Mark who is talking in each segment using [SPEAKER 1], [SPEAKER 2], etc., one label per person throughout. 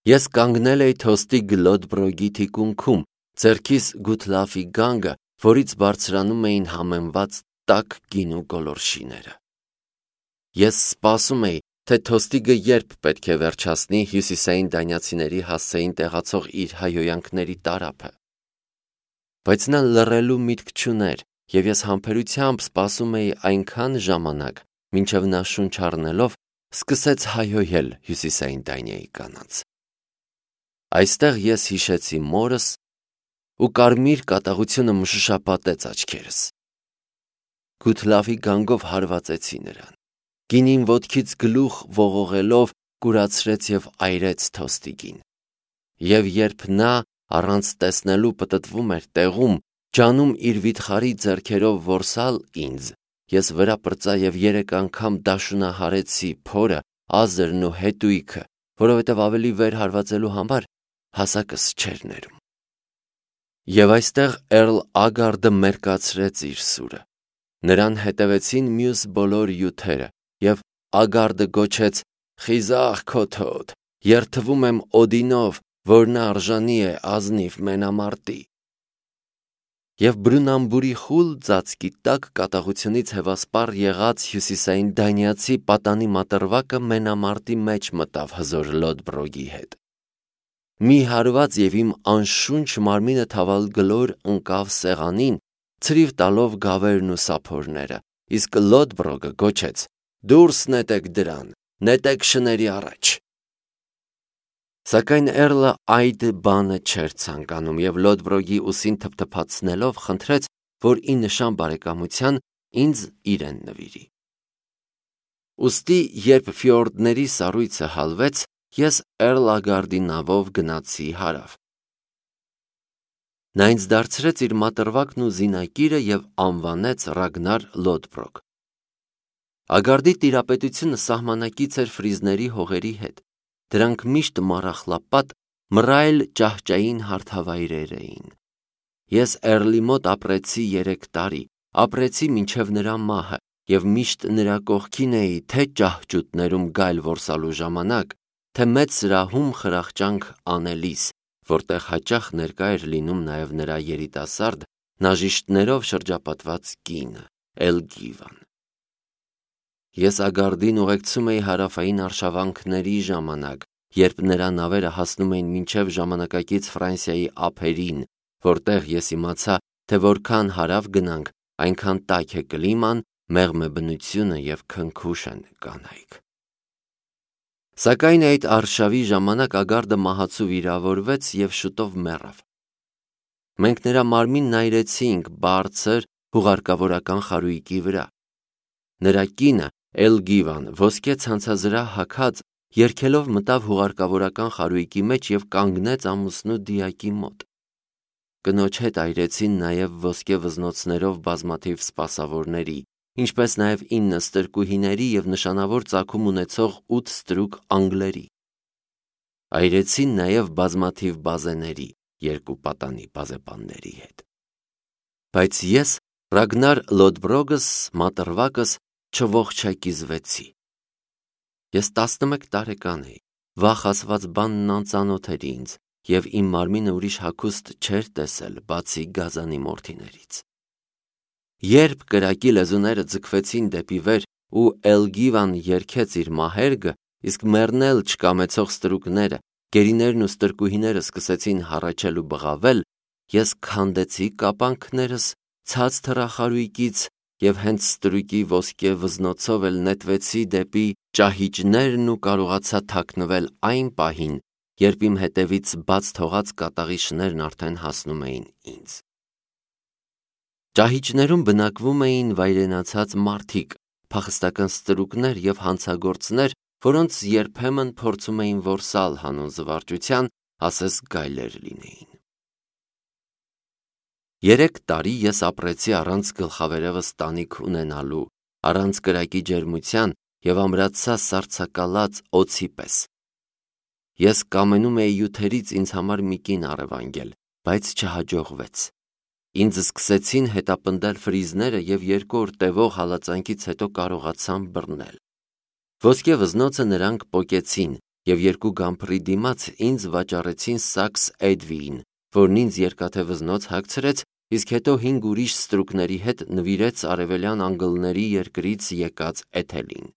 [SPEAKER 1] Ես կանգնել էի թոստի Գլոդբրոգի թիկունքում, ձեռքիս Գութլաֆի գանգը, որից բարձրանում էին համեմված տաք գինու գոլորշիները։ Ես սպասում էի, թե թոստիգը երբ պետք է վերջացնի հյուսիսային դանիացիների հասցեին տեղացող իր հայհոյանքների տարափը։ Բայց նա լռելու միտք չուներ, և ես համբերությամբ սպասում էի այնքան ժամանակ, մինչև նա շունչ առնելով սկսեց հայհոյել հյուսիսային Դանիայի կանանց։ Այստեղ ես հիշեցի մորս, ու կարմիր կատաղությունը մշուշապատեց աչքերս։ Գութլավի գանգով հարվածեցի նրան։ Գինին ոտքից գլուխ ողողելով կուրացրեց և այրեց թոստիգին։ Եվ երբ նա առանց տեսնելու պտտվում էր տեղում, ջանում իր վիթխարի ձեռքերով որսալ ինձ, ես վրա պրծա և 3 անգամ դաշունահարեցի փորը, Ազերն ու հետույքը, որովհետև ավելի վեր հարվածելու համար հասակս չէր ներում։ Եվ այստեղ Էռլ Ագարդը մերկացրեց իր սուրը։ Նրան հետևեցին մյուս բոլոր յութերը, և Ագարդը գոչեց. «Խիզախ քոթոտ, երդվում եմ Օդինով, որ նա արժանի է ազնիվ մենամարտի»։ Եվ բրունամբուրի խուլ ծածկի տակ կատաղությունից հևասպառ եղած հյուսիսային դանիացի պատանի մատռվակը մենամարտի մեջ մտավ հզոր Լոդբրոգի հետ։ Մի հարված և իմ անշունչ մարմինը թավալ գլոր ընկավ սեղանին, ցրիվ տալով գավերն ու սափորները, իսկ Լոդբրոգը գոչեց. «Դուրս նետեք դրան, նետեք շների առաջ»։ Սակայն Էռլը այդ բանը չէր ցանկանում և Լոդբրոգի ուսին թփթփացնելով խնդրեց, որ ի նշան բարեկամության ինձ իրեն նվիրի։ Ուստի, երբ ֆիորդների սառույցը հալվեց, ես Էռլ Ագարդի նավով գնացի հարավ։ Նա ինձ դարձրեց իր մատռվակն ու զինակիրը և անվանեց Ռագնար Լոդբրոգ։ Ագարդի տիրապետությունը սահմանակից էր ֆրիզների հողերի հետ։ Դրանք միշտ մառախլապատ, մռայլ ճահճային հարթավայրեր էին։ Ես Էռլի մոտ ապրեցի 3 տարի, ապրեցի մինչև նրա մահը, և միշտ նրա կողքին էի թե ճահճուտներում գայլ որսալու ժամանակ, թե մեծ սրահում խրախճանք անելիս, որտեղ հաճախ ներկա էր լինում նաև նրա երիտասարդ, նաժիշտներով շրջապատված կինը՝ Էլգիվան։ Ես Ագարդին ուղեկցում էի հարավային արշավանքների ժամանակ, երբ նրա նավերը հասնում էին մինչև ժամանակակից Ֆրանսիայի ափերին, որտեղ ես իմացա, թե որքան հարավ գնանք, այնքան տաք է կլիման, մեղմ է բնությունը և քնքուշ են կանայք։ Սակայն այդ արշավի ժամանակ Ագարդը մահացու վիրավորվեց և շուտով մեռավ։ Մենք նրա մարմինն այրեցինք բարձր հուղարկավորական խարույկի վրա։ Նրա կինը Էլգիվան ոսկե ցանցազրահ հագած երգելով մտավ հուղարկավորական խարույկի մեջ և կանգնեց ամուսնու դիակի մոտ։ Կնոջ հետ այրեցին նաև ոսկե վզնոցներով բազմաթիվ սպասավորների, ինչպես նաև 9 ստրկուհիների և նշանավոր ծագում ունեցող 8 ստրուկ անգլերի։ Այրեցին նաև բազմաթիվ բազեների, 2 պատանի բազեպանների հետ։ Բայց ես Ռագնար Լոդբրոգս մատռվակս չողջակիզվեցի։ Ես 11 տարեկան էի, վաղ ասված բանն անծանոթ էր ինձ, և իմ մարմինը ուրիշ հագուստ չէր տեսել, բացի գազանի մորթիներից։ Երբ կրակի լեզուները ձգվեցին դեպի վեր ու Էլգիվան երգեց իր մահերգը, իսկ մեռնել չկամեցող ստրուկները, գերիներն ու ստրկուհիները սկսեցին հառաչել ու բղավել, ես քանդեցի կապանքներս, ցած թռա խարույկից և հենց ստրուկի ոսկե վզնոցով էլ նետվեցի դեպի ճահիճներն ու կարողացա թաքնվել այն պահին, երբ իմ հետևից բաց թողած կատաղի շներն արդեն հասնում էին ինձ։ Ճահիճներում բնակվում էին վայրենացած մարդիկ, փախստական ստրուկներ և հանցագործներ, որոնց երբեմն փորձում էին որսալ հանուն զվարճության, ասես գայլեր լինեին։ 3 տարի ես ապրեցի առանց գլխավերևս տանիք ունենալու, առանց կրակի ջերմության և ամրացա սառցակալած օձի պես։ Ես կամենում էի յութերից ինձ համար մի կին առևանգել, բայց չհաջողվեց։ Ինձ սկսեցին հետապնդել ֆրիզները և 2 օր տևող հալածանքից հետո կարողացամ բռնել։ Ոսկե վզնոցը նրանք պոկեցին, և 2 գամփրի դիմաց ինձ վաճառեցին սաքս էդվիին, որն ինձ երկաթե վզնոց հագցրեց, իսկ հետո 5 ուրիշ ստրուկների հետ նվիրեց արևելյան անգլների երկրից եկած Էթելին։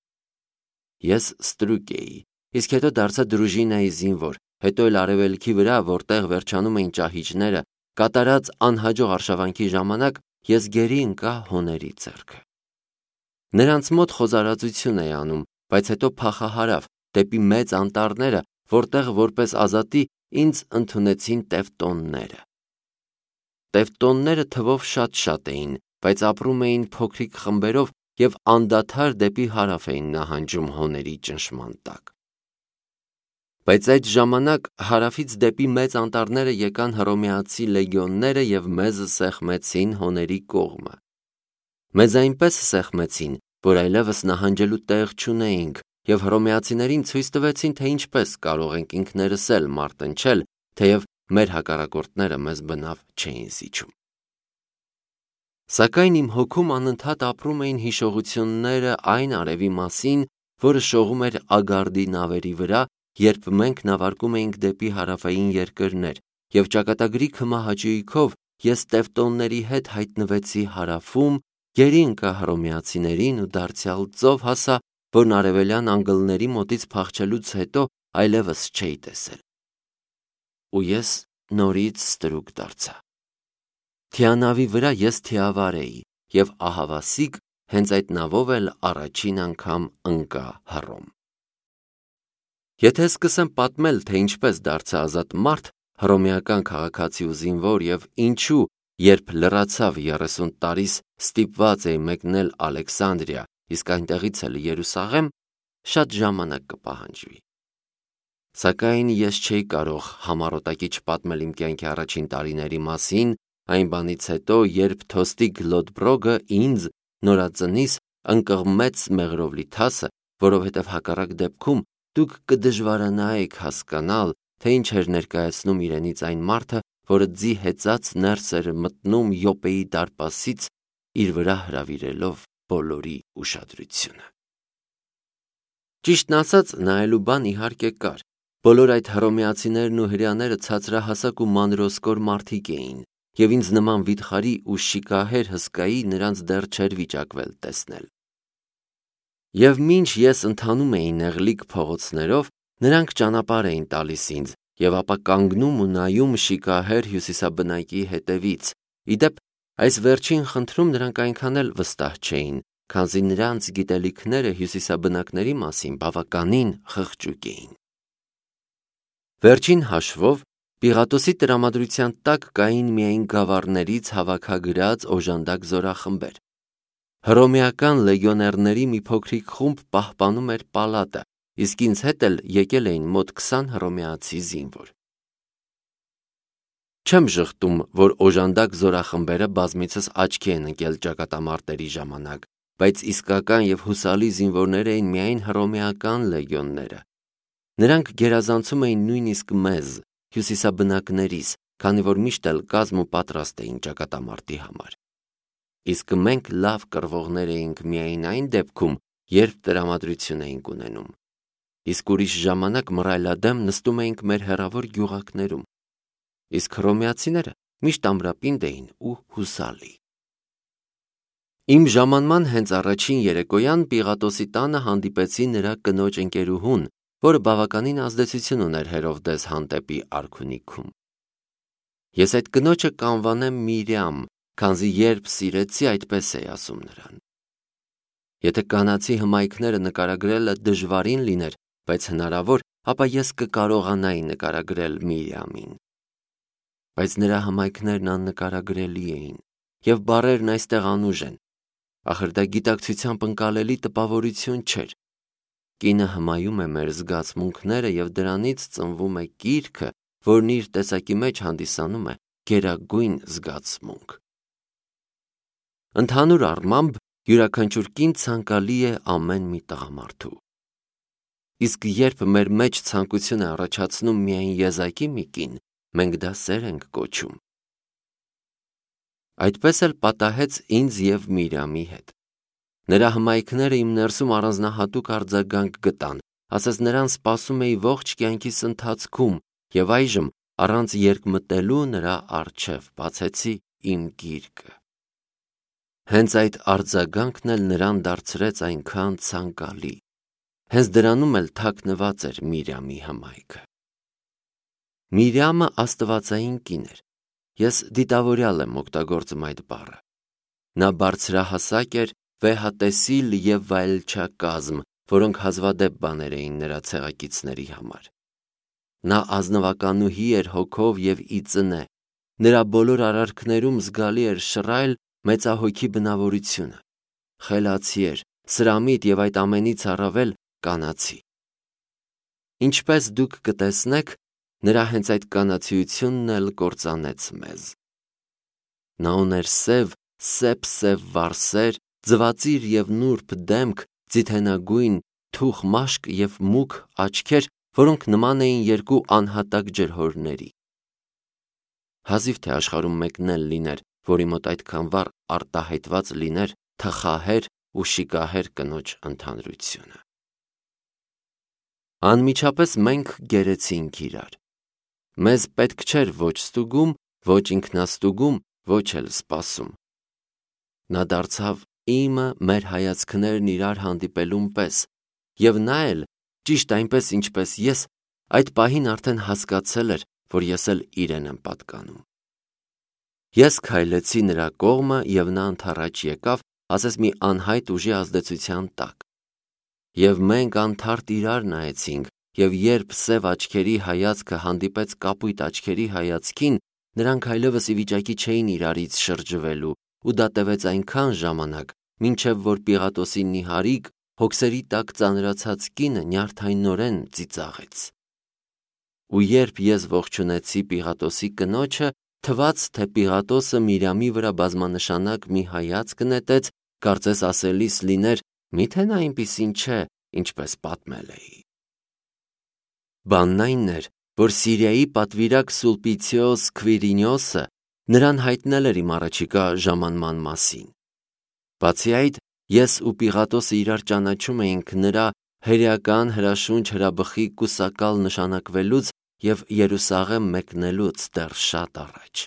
[SPEAKER 1] Ես ստրուկ էի, իսկ հետո դարձա դրուժինայի զինվոր, հետո էլ արևելքի վրա, որտեղ վերջանում էին ճահիճները, կատարած անհաջող արշավանքի ժամանակ ես գերի ընկա հոների ձեռքը։ Նրանց մոտ խոզարածություն էի անում, բայց հետո փախահարավ դեպի մեծ անտառները, որտեղ որպես ազատի ինձ ընդունեցին տևտոնները։ Տևտոնները թվով շատ էին, բայց ապրում էին փոքրիկ խմբերով և անդադար դեպի հարավ էին նահանջում հոների ճնշման տակ։ Բայց այդ ժամանակ հարավից դեպի մեծ անտառները եկան հռոմեացի լեգիոնները և մեզ սեղմեցին հոների կողմը։ Մեզ այնպես սեղմեցին, որ այլևս նահանջելու տեղ չունեինք, և հռոմեացիներին ցույց տվեցին, թե ինչպես կարող ենք ինքներս էլ մարտնչել, թեև մեր հակառակորդները մեզ բնավ չէին զիջում։ Սակայն իմ հոգում անընդհատ ապրում էին հիշողությունները այն արևի մասին, որը շողում էր Ագարդի նավերի վրա, երբ մենք նավարկում էինք դեպի հարավային երկրներ, և ճակատագրի քմահաճույքով ես տևտոնների հետ հայտնվեցի հարավում, գերի ընկա հռոմեացիներին ու դարձյալ ծով հասա, որն արևելյան անգլների մոտից փախչելուց հետո այլևս չէի տեսել։ Ու ես նորից ստրուկ դարձա։ Թիանավի վրա ես թիավար էի, և ահավասիկ հենց այդ նավով էլ առաջին անգամ ընկա Հռոմ։ Եթե սկսեմ պատմել, թե ինչպես դարձա ազատ մարդ, հռոմեական քաղաքացի ու զինվոր, և ինչու, երբ լրացավ 30 տարիս ստիպված էի մեկնել Ալեքսանդրիա, իսկ այնտեղից էլ Երուսաղեմ, շատ ժամանակ կպահանջվի։ Սակայն ես չէի կարող համառոտակի չպատմել իմ կյանքի առաջին տարիների մասին, այն բանից հետո, երբ Թոստիկ Լոդբրոգը ինձ նորածնիս ընկղմեց մեղրով լի թասը, որովհետև հակառակ դեպքում դուք կդժվարանայիք հասկանալ, թե ինչ էր ներկայացնում իրենից այն մարդը, որը ձի հեծած ներս էր մտնում Յոպպեի դարպասից, իր վրա հրավիրելով բոլորի ուշադրությունը։ Ճիշտն ասած, նայելու բան իհարկե կար։ Բոլոր այդ հռոմեացիներն ու հրեաները ցածրահասակ ու մանրոսկոր մարդիկ էին, և ինձ նման վիթխարի ու շիկահեր հսկայի նրանց դեռ չէր վիճակվել տեսնել։ Եվ մինչ ես ընթանում էի նեղլիկ փողոցներով, նրանք ճանապարհ էին տալիս ինձ, և ապա կանգնում ու նայում շիկահեր հյուսիսաբնակի հետևից։ Ի դեպ, այս վերջին խնդրում նրանք այնքան էլ վստահ չէին, քանզի նրանց գիտելիքները հյուսիսաբնակների մասին բավականին խղճուկ էին։ Վերջին հաշվով, Պիղատոսի տրամադրության տակ կային միայն գավառներից հավաքագրած օժանդակ զորախմբեր։ Հռոմեական լեգիոներների մի փոքրիկ խումբ պահպանում էր պալատը, իսկ ինձ հետ էլ եկել էին մոտ 20 հռոմեացի զինվոր։ Չեմ ժխտում, որ օժանդակ զորախմբերը բազմիցս աչքի են ընկել ճակատամարտերի ժամանակ, բայց իսկական և հուսալի զինվորներ էին միայն հռոմեական լեգիոնները։ Նրանք գերազանցում էին նույնիսկ մեզ, հյուսիսաբնակներիս, քանի որ միշտ էլ կազմ ու պատրաստ էին ճակատամարտի համար։ Իսկ մենք լավ կռվողներ էինք միայն այն դեպքում, երբ տրամադրություն էինք ունենում։ Իսկ ուրիշ ժամանակ մռայլադեմ նստում էինք մեր հեռավոր գյուղակներում։ Իսկ հռոմեացիները միշտ ամրապինդ էին ու հուսալի։ Իմ ժամանման հենց առաջին երեկոյան Պիղատոսի տանը հանդիպեցի նրա կնոջ ընկերուհուն, որը բավականին ազդեցություն ուներ Հերովդես հանդեպի արքունիքում։ Ես այդ կնոջը կանվանեմ Միրյամ, քանզի երբ սիրեցի, այդպես էի ասում նրան։ Եթե կանացի հմայքները նկարագրելը դժվարին լիներ, բայց հնարավոր, ապա ես կկարողանայի նկարագրել Միրյամին։ Բայց նրա հմայքներն աննկարագրելի էին, և բառերն այստեղ անուժ են։ Ախր դա գիտակցությամբ ընկալելի տպավորություն չէր։ Կինը հմայում է մեր զգացմունքները, և դրանից ծնվում է կիրքը, որն իր տեսակի մեջ հանդիսանում է գերագույն զգացմունք։ Ընդհանուր առմամբ, յուրաքանչյուր կին ցանկալի է ամեն մի տղամարդու։ Իսկ երբ մեր մեջ ցանկություն է առաջացնում միայն եզակի մի կին, մենք դա սեր ենք կոչում։ Այդպես էլ պատահեց ինձ և Միրյամի հետ։ Նրա հմայքները իմ ներսում առանձնահատուկ արձագանք գտան, ասես նրան սպասում էի ողջ կյանքիս ընթացքում, և այժմ առանց երկմտելու նրա առջև բացեցի իմ գիրկը։ Հենց այդ արձագանքն էլ նրան դարձրեց այնքան ցանկալի։ Հենց դրանում էլ թաքնված էր Միրյամի հմայքը։ Միրյամը աստվածային կին էր։ Ես դիտավորյալ եմ օգտագործում այդ բառը։ Նա բարձրահասակ էր, վեհատեսիլ և վայելչակազմ, որոնք հազվադեպ բաներ էին նրա ցեղակիցների համար։ Նա ազնվականուհի էր հոգով և ի ծնե։ Նրա բոլոր արարքներում զգալի էր շռայլ մեծահոգի բնավորությունը։ Խելացի էր, սրամիտ և այդ ամենից առավել կանացի։ Ինչպես դուք կտեսնեք, նրա հենց այդ կանացիությունն էլ կործանեց մեզ։ Նա ուներ սև վարսեր, ձվածիր և նուրբ դեմք, ձիթենագույն, թուխ մաշկ և մուգ աչքեր, որոնք նման էին երկու անհատակ ջրհորների։ Հազիվ թե աշխարհում մեկն էլ լիներ, որի մոտ այդքան վառ արտահայտված լիներ թխահեր ու շիկահեր կնոջ ընդհանրությունը։ Անմիջապես մենք գերեցինք իրար։ Մեզ պետք չէր ոչ ստուգում, ոչ ինքնաստուգում, ոչ էլ սպասում։ Նա դարձավ իմը մեր հայացքներն իրար հանդիպելուն պես, և նա էլ, ճիշտ այնպես ինչպես ես, այդ պահին արդեն հասկացել էր, որ ես էլ իրեն եմ պատկանում։ Ես քայլեցի նրա կողմը, և նա ընդառաջ եկավ, ասես մի անհայտ ուժի ազդեցության տակ։ Եվ մենք անթարթ իրար նայեցինք, և երբ սև աչքերի հայացքը հանդիպեց կապույտ աչքերի հայացքին, նրանք այլևս ի վիճակի չէին իրարից շրջվելու, ու դա տևեց այնքան ժամանակ, մինչև որ Պիղատոսի նիհարիկ, հոգսերի տակ ծանրացած կինը նյարդայնորեն ծիծաղեց։ Ու երբ ես ողջունեցի Պիղատոսի կնոջը, թվաց, թե Պիղատոսը Միրյամի վրա բազմանշանակ մի հայացք նետեց, կարծես ասելիս լիներ. «Միթե նա այնպիսին չէ, ինչպես պատմել էի»։ Բանն այն էր, որ Սիրիայի պատվիրակ Սուլպիցիոս Քվիրինիոսը նրան հայտնել էր իմ առաջիկա ժամանման մասին։ Բացի այդ, ես ու Պիղատոսը իրար ճանաչում էինք նրա հրեական հրաշունչ հրաբխի կուսակալ նշանակվելուց և Երուսաղեմ մեկնելուց դեռ շատ առաջ։